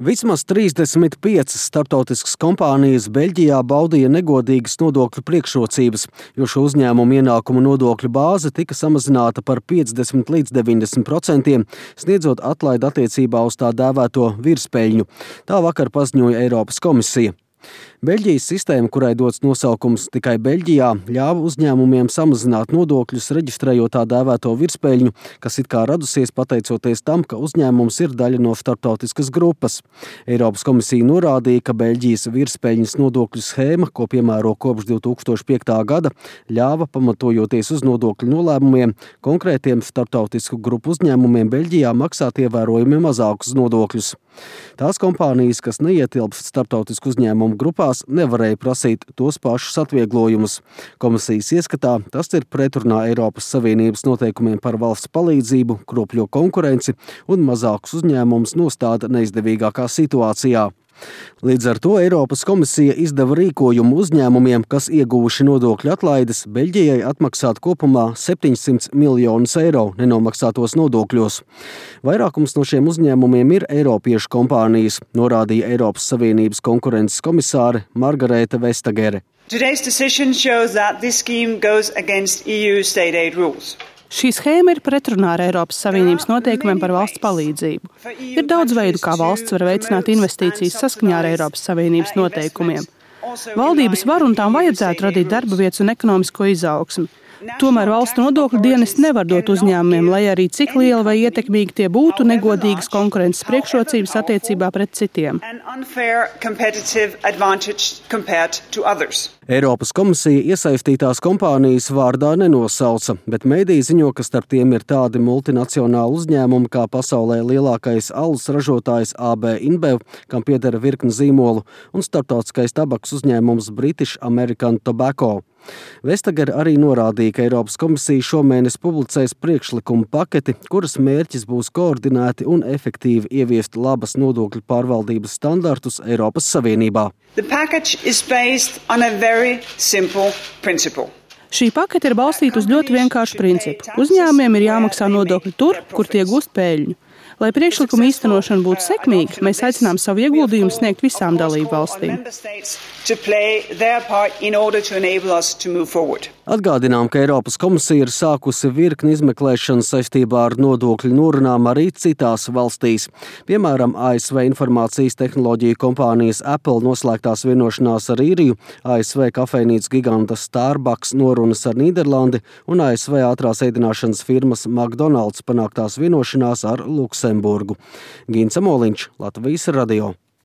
Vismaz 35 starptautiskas kompānijas Beļģijā baudīja negodīgas nodokļu priekšrocības, jo šo uzņēmumu ienākumu nodokļu bāze tika samazināta par 50 līdz 90%, sniedzot atlaidi attiecībā uz tā dēvēto virspeļņu. Tā vakar paziņoja Eiropas komisija. Beļģijas sistēma, kurai dots nosaukums tikai Beļģijā, ļāva uzņēmumiem samazināt nodokļus, reģistrējot tā dēvēto virspeļņu, kas it kā radusies pateicoties tam, ka uzņēmums ir daļa no starptautiskas grupas. Eiropas komisija norādīja, ka Beļģijas virspeļņas nodokļu schēma, ko piemēro kopš 2005. gada, ļāva, pamatojoties uz nodokļu nolēmumiem, konkrētiem starptautisku grupu uzņēmumiem Beļģijā maksāt ievērojami mazākus nodokļus. Tās kompānijas, kas neietilpst starptautisku uzņēmumu grupās, nevarēja prasīt tos pašus atvieglojumus. Komisijas ieskatā tas ir pretrunā Eiropas Savienības noteikumiem par valsts palīdzību, kropļo konkurenci un mazākus uzņēmumus nostāda neizdevīgākā situācijā. Līdz ar to Eiropas komisija izdeva rīkojumu uzņēmumiem, kas ieguvuši nodokļu atlaides, Beļģijai atmaksāt kopumā 700 miljonus eiro nenomaksātos nodokļos. Vairākums no šiem uzņēmumiem ir eiropiešu kompānijas, norādīja Eiropas Savienības konkurences komisāre Margarete Vestagere. Today's decision shows that this scheme goes against EU state aid rules. Šī schēma ir pretrunā ar Eiropas Savienības noteikumiem par valsts palīdzību. Ir daudz veidu, kā valsts var veicināt investīcijas saskaņā ar Eiropas Savienības noteikumiem. Valdības var un tām vajadzētu radīt darba vietas un ekonomisko izaugsmi. Tomēr valsts nodokļu dienesti nevar dot uzņēmumiem, lai arī cik liela vai ietekmīgi tie būtu, negodīgas konkurences priekšrocības attiecībā pret citiem. Eiropas komisija iesaistītās kompānijas vārdā nenosauca, bet mediji ziņo, ka starp tiem ir tādi multinacionāli uzņēmumi kā pasaulē lielākais alus ražotājs AB InBev, kam pieder virkne zīmolu, un starptautiskais tabaks uzņēmums British American Tobacco. Vestagere arī norādīja, ka Eiropas komisija šomēnes publicēs priekšlikumu paketi, kuras mērķis būs koordinēti un efektīvi ieviest labas nodokļu pārvaldības standartus Eiropas Savienībā. Šī pakete ir balstīta uz ļoti vienkāršu principu. Uzņēmumiem ir jāmaksā nodokļi tur, kur tie gūst peļņu. Lai priekšlikuma īstenošana būtu sekmīga, mēs aicinām savu ieguldījumu sniegt visām dalību valstīm. Atgādinām, ka Eiropas komisija ir sākusi virkni izmeklēšanu saistībā ar nodokļu norunām arī citās valstīs. Piemēram, ASV informācijas tehnoloģiju kompānijas Apple noslēgtās vienošanās ar Īriju, ASV kafejnīcas giganta Starbucks norunas ar Nīderlandi un ASV ātrās ēdināšanas firmas McDonald's panāktās vienošanās ar Luksemburgu. Gints Amoliņš, Latvijas radio.